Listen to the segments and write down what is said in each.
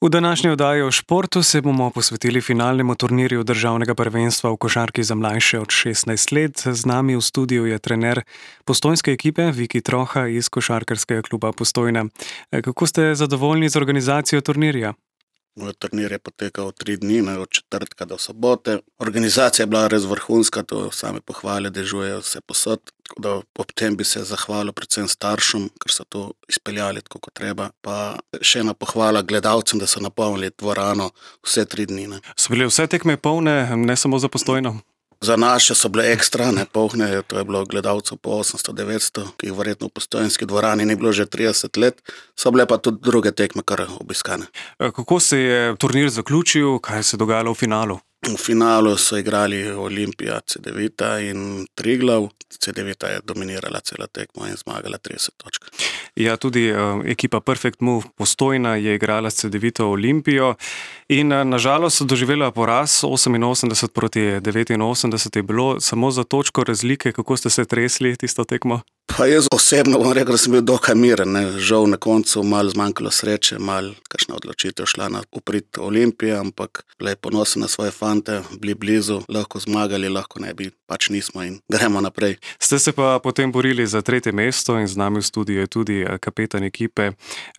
V današnji oddaji o športu se bomo posvetili finalnemu turnirju državnega prvenstva v košarki za mlajše od 16 let. Z nami v studiu je trener postojnske ekipe Viki Troha iz Košarkarskega kluba Postojna. Kako ste zadovoljni z organizacijo turnirja? Turnir je potekal 3 dni, od četrtka do sobote. Organizacija je bila res vrhunska, to same pohvale dežujejo vse posod. Tako da ob tem bi se zahvalil predvsem staršem, ker so to izpeljali tako kot treba. Pa še ena pohvala gledalcem, da so napolnili dvorano vse 3 dni. So bile vse tekme polne, ne samo za Postojno? Za naše so bile ekstra, polne, to je bilo gledalcev po 800-900, ki jih verjetno v postojnski dvorani ni bilo že 30 let. So bile pa tudi druge tekme kar obiskane. Kako se je turnir zaključil, kaj se je dogajalo v finalu? V finalu so igrali Olimpija, Cedevita in Triglav. Cedevita je dominirala celo tekmo in zmagala 30 točk. Ja, tudi ekipa Perfect Move Postojna je igrala s Cedevito Olimpijo in nažalost so doživela poraz 88 proti 89 je bilo samo za točko razlike. Kako ste se tresli tisto tekmo? Pa jaz osebno bom rekel, da sem bil dokaj miren. Žal na koncu malo zmanjkalo sreče, malo kakšna odločitev šla na uprit Olimpije, ampak bile ponosen na svoje fante, bili blizu, lahko zmagali, lahko ne bi, pač nismo in gremo naprej. Ste se pa potem borili za 3. mesto in z nami v studiu je tudi kapetan ekipe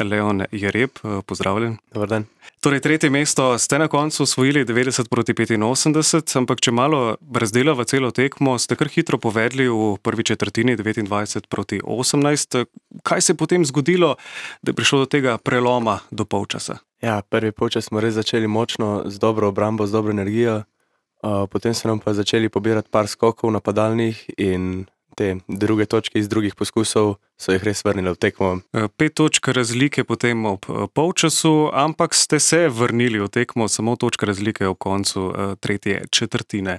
Leon Jereb. Pozdravljen. Dobar dan. Torej, 3. mesto ste na koncu osvojili 90 proti 85, ampak če malo razdelava celo tekmo, ste kar hitro povedli v prvi četrtini 29 proti 18. Kaj se je potem zgodilo, da je prišlo do tega preloma do polčasa? Ja, prvi polčas smo res začeli močno, z dobro obrambo, z dobro energijo. Potem so nam pa začeli pobirati par skokov napadalnih in te druge točke iz drugih poskusov so jih res vrnili v tekmo. 5 točk razlike potem ob polčasu, ampak ste se vrnili v tekmo, samo točka razlike ob koncu 3. četrtine.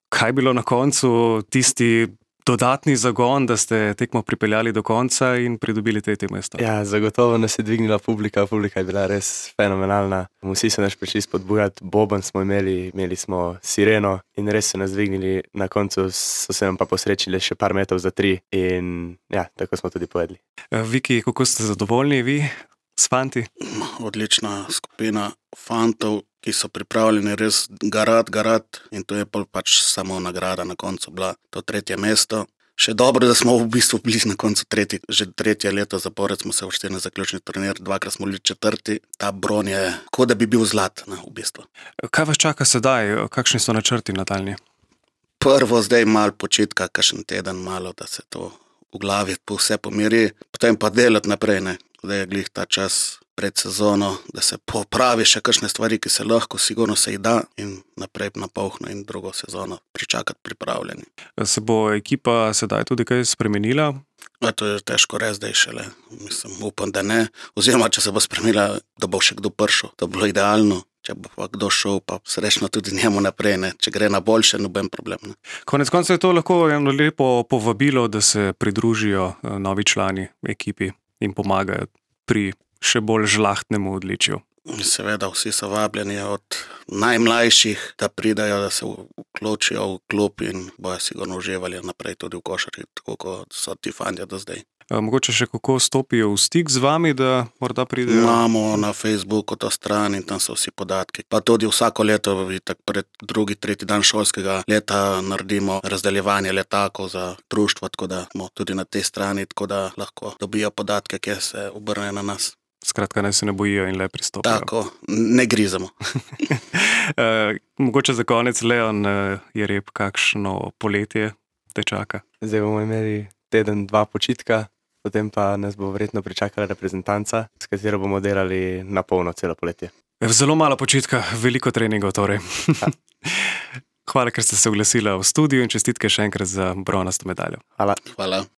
Kaj je bilo na koncu tisti dodatni zagon, da ste tekmo pripeljali do konca in pridobili 3. mesto? Ja, zagotovo nas je dvignila publika je bila res fenomenalna. Vsi so nas prišli spodbujati, boben smo imeli smo sireno in res so nas dvignili. Na koncu so se nam pa posrečili še par metov za 3 in ja, tako smo tudi povedali. Viki, kako ste zadovoljni vi s fanti? Odlična skupina fantov, ki so pripravljeni res garat in to je pač samo nagrada na koncu bila to 3. mesto. Še dobro, da smo v bistvu bili na koncu že 3. leto zapored smo se uvrstili na zaključni turnir, 2-krat smo bili 4. Ta bron je, kot da bi bil zlat v bistvu. Kaj vas čaka sedaj? Kakšni so načrti nadaljnji? Prvo zdaj malo počitka, kakšen teden malo, da se to v glavi vse pomiri, potem pa delati naprej. Zdaj je glih ta čas pred sezono, da se popravi še kakšne stvari, ki se lahko, sigurno se jih da in naprej na polno in drugo sezono pričakati pripravljeni. Se bo ekipa sedaj tudi kaj spremenila? To je težko reči zdaj šele. Upam, da ne. Oziroma, če se bo spremenila, da bo še kdo prišel. To bi bilo idealno. Če bo pa kdo šel, pa srečno tudi njemu naprej. Če gre na boljše, noben problem. Konec konca je to lahko eno lepo povabilo, da se pridružijo novi člani ekipi in pomagajo pri še bolj žlahtnemu odličju. Seveda, vsi so vabljeni od najmlajših, da pridajo, da se vključijo v klub in bojo sigurno uživali naprej tudi v košarki, tako kot so ti fantje do zdaj. Mogoče še kako stopijo v stik z vami, da morda pridejo? Imamo na Facebooku to stran in tam so vsi podatki. Pa tudi vsako leto, pred 2., 3. dan šolskega leta naredimo razdeljevanje letakov za društvo, tako da smo tudi na tej strani, tako da lahko dobijo podatke, kje se obrnejo na nas. Skratka, naj se ne bojijo in le pristopijo. Tako, ne grizamo. Mogoče za konec, Leon Jereb, kakšno poletje te čaka? Zdaj bomo imeli teden, 2 počitka, potem pa nas bo verjetno pričakala reprezentanca, s katero bomo delali na polno celo poletje. Zelo malo počitka, veliko treningov torej. Hvala, ker ste se oglasila v studiu in čestitke še enkrat za bronasto medaljo. Hvala. Hvala.